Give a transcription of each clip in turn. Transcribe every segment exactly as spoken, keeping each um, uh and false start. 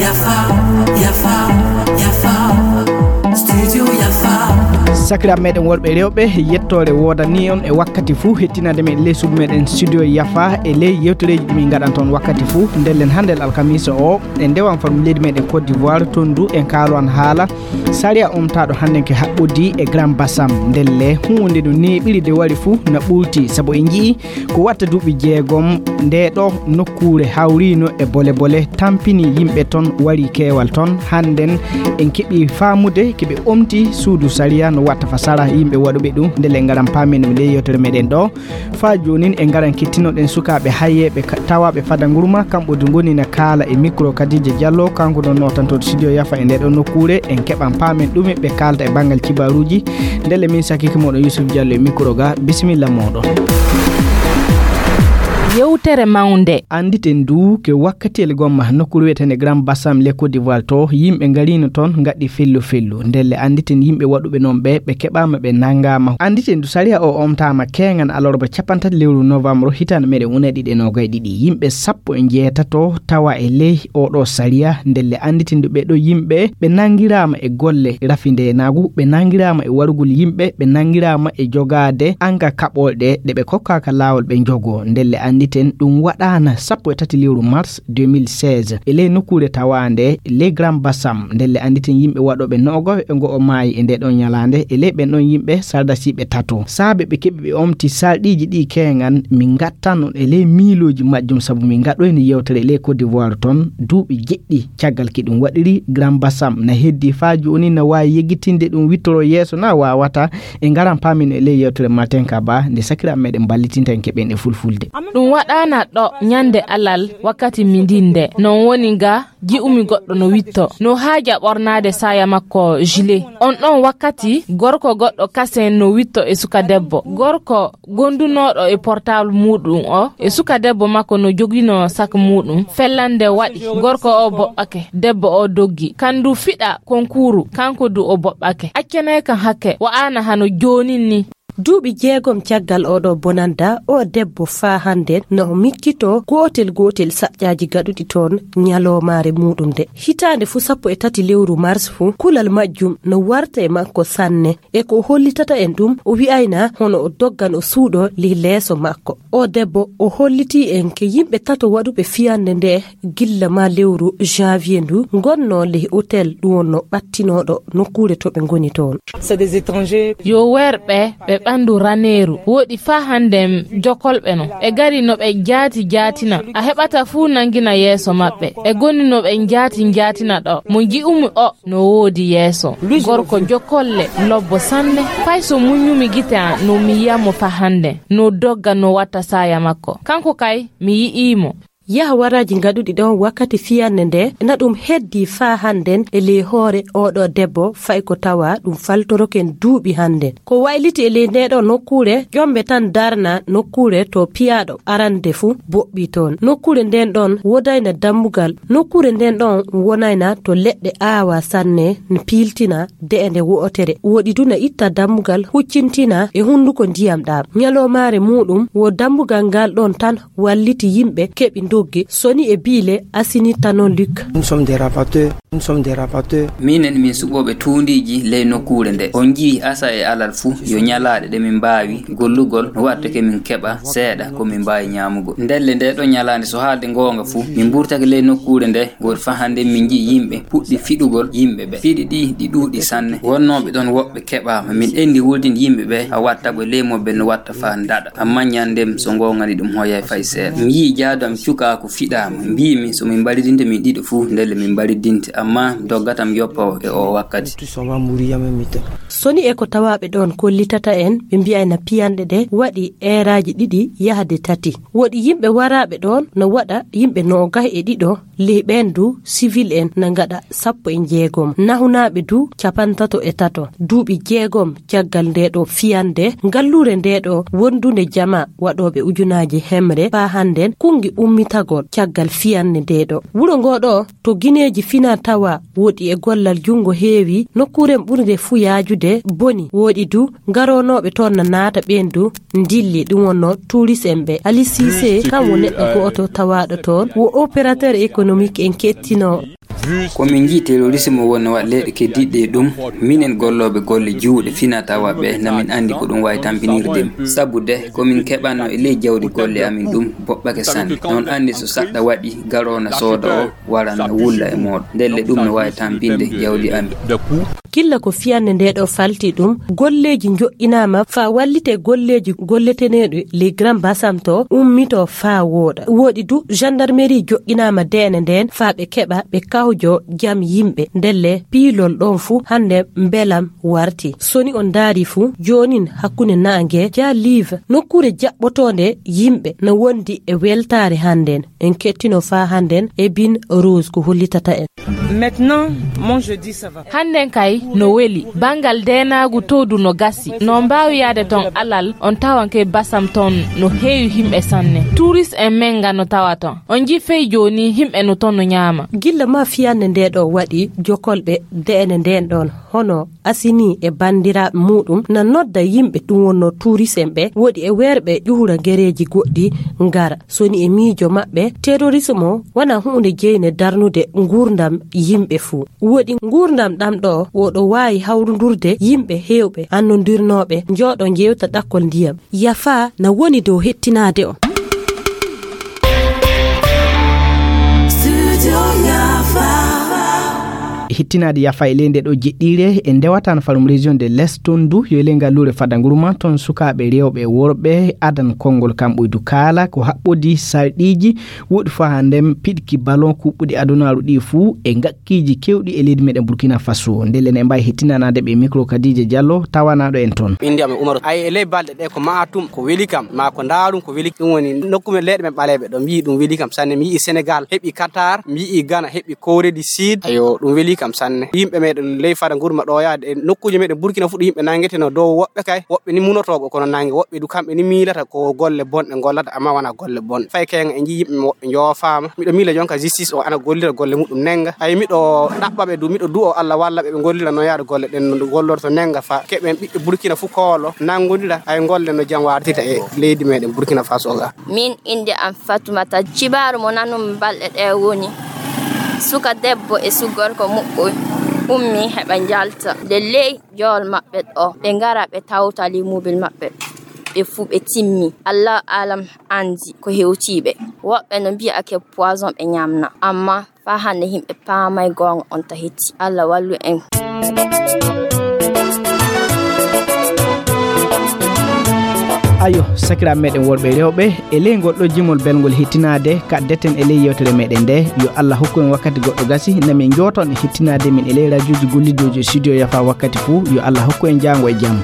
Yafa, yafa, yafa. Studio Yafa. Sakiraaɓe meɗen worɓe e rewɓe, yettoore woodanii on e wakkati fuu hettinande men ley suudu meɗen Studio Yafa e ley yewtereeji ɗi min ngaɗanta on wakkati fuu. Ndellen hannde alkamisa o, e ndewan farmu leydi meɗen Côte d'Ivoire, toon du en kaalowan haala sariya omtaaɗo hannde ke haɓɓodii e Grand Bassam. Ndelle huunde no neeɓiri de wari fuu na ɓulti, sabu en nji'i ko watta duuɓi jeegom, nde ɗo nokkuure hawriino e bole bole, tampini yimɓe ton, wari keewal ton. Hannden en keɓi faamude ke ɓe omti suudu sariya no watta fa sara yimɓe waɗuɓe ɗum. Ndelle ngaran paamen ɗum ley yewtere meɗen ɗo. Faa joonin en ngaran kettinoɗen sukaaɓe hayyeeɓe ka-, tawaaɓe fada ngurma, kamɓe du ngoni na kaala e micro Kadija Diallo, kanko ɗon nootanto Studio Yafa e nde ɗo nokkuure. En keɓan paamen ɗume ɓe kaalta e banngal kibaaruuji. Ndelle min sakike moɗon Yusuf Diallo e micro ga, bisimilla moɗon. Yewtere mawnde. Annditen du ke wakkatiyel gomma nokkuure wiyetende Grand Bassam le Côte d'Ivoire to, yimɓe ngariino toon ngaɗi fellu fellu. Ndelle annditen yimɓe waɗuɓe noon ɓe, ɓe keɓaama, ɓe nanngaama. Annditen du sariya o omtaama keengan alarba capanɗe tati lewru novembre hitaande meɗen ujunere ɗiɗi e noogay e ɗiɗi. Yimɓe sappo e njeetato tawa e ley oɗo sariya. Ndelle annditen du ɓe ɗo yimɓe ɓe nanngiraama e golle rafindeenaagu, ɓe nanngiraama e warugol yimɓe, ɓe nanngiraama e jogaade anga kaɓolɗe ɗe ɓe kokkaaka laawol ɓe njogoo. Ndelle annditen ɗum waɗaana sappo e tati lewru mars deux mille seize e ley nokkuure tawaande ley Grand Bassam. Ndelle annditen yimɓe waɗooɓe noogo e ngo o maayi e nde ɗon ñalaande. E ley ɓen ɗon yimɓe sardasiiɓe tato. Saabe ɓe keɓi ɓe omti sarɗiiji ɗi keengan, min ngattan on e ley miilooji majjum, sabu min ngaɗoyni yewtere ley Côte d'Ivoire ton duuɓi jeɗɗi caggal ki ɗum waɗiri Grand Bassam. Na heddi faa jooni na waawi yeggitinde ɗum wittoro yeeso na waawata. E ngaran paamin e ley yewtere Matenka ba nde sakiraaɓe meɗen ballitinta en keɓen e fulfulde. Ɗum waɗaana ɗo ñande alal wakkati mindinde. Non woni ga ji'umi goɗɗo no witto. No haaja ɓornaade saaya makko gilet. On ɗon wakkati gorko goɗɗo kasen no witto e suka debbo. Gorko gondunooɗo e portable muuɗum o e suka debbo makko no joginoo sak muuɗum. Fellande waɗi. Gorko o boɓɓake. Debbo o doggi. Kandu fiɗa konkuru. Kanko du o boɓɓake. Accanee kan hakke. Wa'ana hano joonin ni. Duuɓi jeegom caggal oɗo bonanda, o debbo faa hannde no miccito gootel gootel saƴƴaaji gaɗuɗi toon ñaloomaare muuɗum nde. Hitaande fuu sappo e tati lewru mars fuu, kulal majjum no warta e makko sanne. E ko hollitata en ɗum, o wi'ayna hono o doggan o suuɗo ley leeso makko. O debbo o hollitii en ke yimɓe tato waɗuɓe fiyannde nde gilla maa lewru janvier ndu, ngonnoo ley hôtel ɗum wonnoo ɓattinooɗo nokkuure to ɓe ngoni toon. Yo werɓe ɓe ɓanndu raneeru, woɗi faa hannde jokolɓe no. Ɓe ngari no ɓe jaati jaatina. A heɓata fuu nanngina yeeso maɓɓe. Ɓe ngoni no ɓe jaati jaatina ɗo. Mo nji'umi o no woodi yeeso. Gorko jokolle lobbo sanne. Fay so muññumi gite am no mi yi'a mo faa hannde. No dogga no watta saaya makko. Kanko kay mi yi'ii mo. Yah waraaji ngaɗuɗi ɗon wakkati fiyannde nde, na ɗum heddii faa hannden e ley hoore oɗo debbo, fay ko tawa ɗum faltoroken duuɓi hannden. Ko wayliti e ley ndeeɗo nokkuure, ƴombe tan darna nokkuure to piyaaɗo arande fuu boɓɓi toon. Nokkuure nden ɗon wodayna dammugal. Nokkuure nden ɗon wonayna to leɗɗe aawa sanne, n piiltina de'ende wo'otere. Woɗi du na itta dammugal, huccintina e hunnduko ndiyam ɗaam. Ñaloomaare muuɗum wo dammugal ngal ɗon tan walliti yimɓe keɓi ndogge. Soni e biile asini tano Luc. Nous sommes des rapatteurs. Nous sommes des rapatteurs. Minen min suɓooɓe tuundiiji ley nokkuure nde. On njii asa e alal fuu yo ñalaaɗe ɗe min mbaawi gollugol no wattake min keɓa seeɗa ko min mbaawi ñaamugol. Ndelle nde ɗo ñalaande so haalde ngoonga fuu min mburtake ley nokkuure nde. Goori faa hannden min njii yimɓe puɗɗi fiɗugol yimɓe ɓe. Fiɗi ɗi ɗi ɗuuɗi sanne. Wonnooɓe ɗon woɓɓe keɓaama. Min enndi wultinde yimɓe ɓe a watta ɓe ley mobbel no watta faa ndaɗa. Ammaa ñanndem so ngoongani ɗum hoyay fay seeɗa. Mi yi'i jaadu am cukaaku fiɗaama. Mbiimi so min mbaridinte min ɗiɗo fuu ndelle min mbaridinte. Ammaa doggatam yoppa o e o wakkati. Soni e ko tawaaɓe ɗon kollitata en ɓe mbi'ayna piyanɗe ɗe waɗi eeraaji ɗiɗi yahde tati. Woɗi yimɓe waraaɓe ɗon no waɗa yimɓe noogahi e ɗiɗo Ley ɓeen du, sivil en na ngaɗa sappo e jeegom, nahunaaɓe du capantato e tato. Duuɓi jeegom caggal ndee ɗoo fiyannde, ngalluure ndee ɗoo wondunde jamaa waɗooɓe ujunaaji hemre faa hannden kunngi ummitagol caggal fiyannde ndee ɗoo. Wuro ngoo ɗoo to gineeji fina tawa woɗi e gollal junngo heewi, nokkuure ɓurnde fuu yaajude boni, woɗi du garoonooɓe toon na naata ɓeen du ndilli, ɗum wonnoo tuurist en ɓe. Ali Siise, kam wo neɗɗo gooto tawaaɗo toon, wo opérateur économique en kettinoo. Ko min njii terrorisme wonno waɗ leyɗe keddiiɗe e ɗum, minen gollooɓe golle juuɗe fina tawa ɓe, na min anndi ko ɗum waawi tampinirde. Sabu de, ko min keɓanno e ley jawdi golle amin ɗum boɓɓake sanne. Noon anndi so saɗɗa waɗi, garoona sooda o, waran na wulla e mooɗon. Ndelle ɗum no waawi tampinde jawdi amin. Killa ko fiyannde ndee ɗoo falti ɗum, golleeji njoɗɗinaama faa wallite golleeji golleteneeɗi les grands basam to ummitoo faa wooɗa. Woɗi du, gendarmerie joɗɗinaama deene ndeen faa ɓe keɓa ɓe kawjo jam yimɓe. Ndelle piilol ɗoon fuu hannde mbelam warti. So ni on ndaari fuu, joonin hakkunde naange, jaa liiva, nokkuure jaɓɓotoonde yimɓe na wondi e weltaare hannden. En kettino faa hannden e Bin Rose ko hollitata en. Maintenant, mon jeudi, ça va. Hannden kay no weli. Banngal deenaagu to du no gasi. No mbaawi yaade toon alal, on tawanke basam toon no heewi himɓe sanne. Tuurist en men nga no tawa toon. On njii fey jooni himɓe no toon no ñaama. Gilla ma fiyannde ndee ɗoo waɗi jokolɓe deene ndeen ɗoon. Hono Asini e banndiraaɓe muuɗum na nodda yimɓe ɗum wonnoo tuurist en ɓe, woɗi e weerɓe ƴuhura gereeji goɗɗi ngara. So ni e miijo maɓɓe, terrorisme o wona huunde jeyne darnude nguurndam yimɓe fuu. Woɗi nguurndam ɗam ɗo, woɗo waawi hawrundurde yimɓe heewɓe annondirnooɓe, njooɗo njeewta ɗakkol ndiyam. Yafa na woni dow hettinaade on. Studio Yafa. Hettinaade Yafa e ley nde ɗo jeɗɗiire, e ndewatan falum région de l'Est toon du, yo e ley ngalluure Fadanguruma, toon sukaaɓe rewɓe e worɓe adan konngol kamɓe du kaala ko haɓɓodi sarɗiiji woɗi faa haa ndem piɗki ballon kuɓɓuɗi adunaaru ɗi fuu e ngakkiiji keewɗi e leydi meɗen Burkina Faso. Ndelle ne mbaawi hettinanaade ɓe micro Kadija Diallo, tawanaaɗo en toon. Innde am e Umaru. Ay, e ley balɗe ɗe ko ma'a tum, ko weli kam, ma ko ndaarum, ko weli. Ɗum woni nokku men leyɗe men ɓaleeɓe ɗo, mi yi'i ɗum weli kam sanne. Mi yi'i Senegal heɓi Qatar, mi yi'i Ghana heɓi Corée du Sud. Ayo, ɗum weli kam sanne. Yimɓe meɗen ley Fadanguruma ɗo yaade e nokkuuje meɗen Burkina fu ɗo yimɓe nangeteno dow woɓɓe kay, woɓɓe ni munotooɓe kono nange, woɓɓe du kamɓe ni miilata ko golle bonɗe ngollata, amma wona golle bonɗe. Fay keenga e njii yimɓe woɓɓe njoofaama. Miɗo miila jonka justice o ana gollira golle muɗum nenga. Ay, miɗo ɗaɓɓa ɓe du, miɗo du'o Allah walla ɓe, ɓe ngollira no yaade golle ɗen no gollorto nenga fa keɓen ɓiɓɓe Burkina fu koolo nangodira ay golle no jam wartita e leydi meɗen Burkina Faso ga. Min innde am Fatumata. Cibaaru mo nanumi balɗe ɗe woni suka debbo e su gorko muɓɓoy ummi heɓa njalta. Nde ley jowol maɓɓe ɗo, ɓe ngara ɓe tawta limobil maɓɓe. Ɓe fuu ɓe timmi. Allah alam anndi ko hewti ɓe. Woɓɓe no mbi'a ke poison ɓe ñamna. Amma faa hannde yimɓe paamay goonga on ta hetti. Allah wallu en. Ayo, sakiraaɓe meɗen worɓe e rewɓe, e ley ngol ɗo jimol belngol hettinaade, kaddeten e ley yewtere meɗen nde, yo Allah hokku en wakkati goɗɗo gasi, na min njooton e hettinaade min e ley rajuuji gollidooji e studio Yafa wakkati fuu, yo Allah hokku en jaango e jam.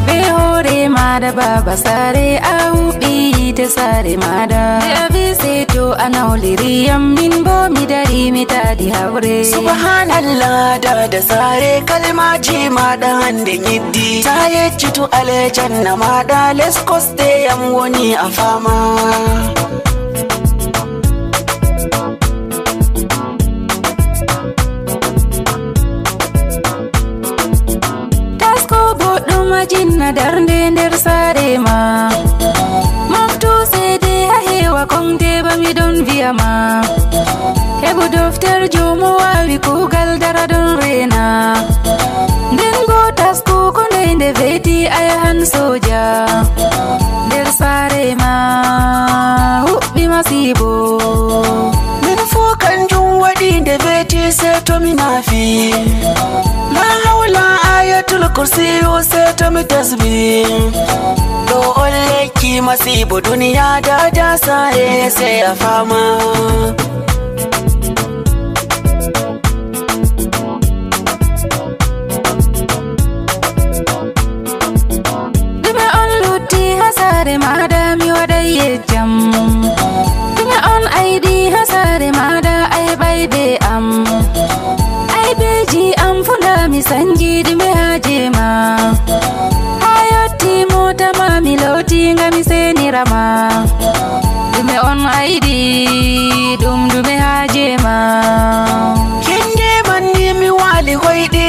Be hoore maada baaba saare, a huɓɓi yiite saare maada. Be a vi seto a nawliri yam, min bo mi dari mi taadi haɓre. Subhanallah, daada saare, kalmaaji maaɗa hannde nyiddi. Ta yeccitu aljanna maaɗa, les kosɗe yam woni a faama. Tasko boɗɗum a jinna darnde nder saare ma. Moftu seede a heewa konde ba mi ɗon vi'a ma. Heɓu dofterjo mo waawi kuugal dara ɗon reena. Nden bo tasko ko ndey nde veeti a yahan sooja. Nder saare ma huɓɓi masiibo. Min fuu kanjum waɗi nde veeti sey to mi naafi. Laa hawla ayatul kursiyu sey to mi tasbi. Ɗo on lekki masiibo duniya daada saare sey a faama. Ɗume on lutti haa saare maaɗa mi waɗay yejjam? Ɗume on aydi haa saare ma Be am, aybeji am funa mi sanji dume haje ma. Ha yotti mota ma mi loti nga mi senira ma. Dume on aidi, dum dume haje ma. Kenge manni mi wali hoyde.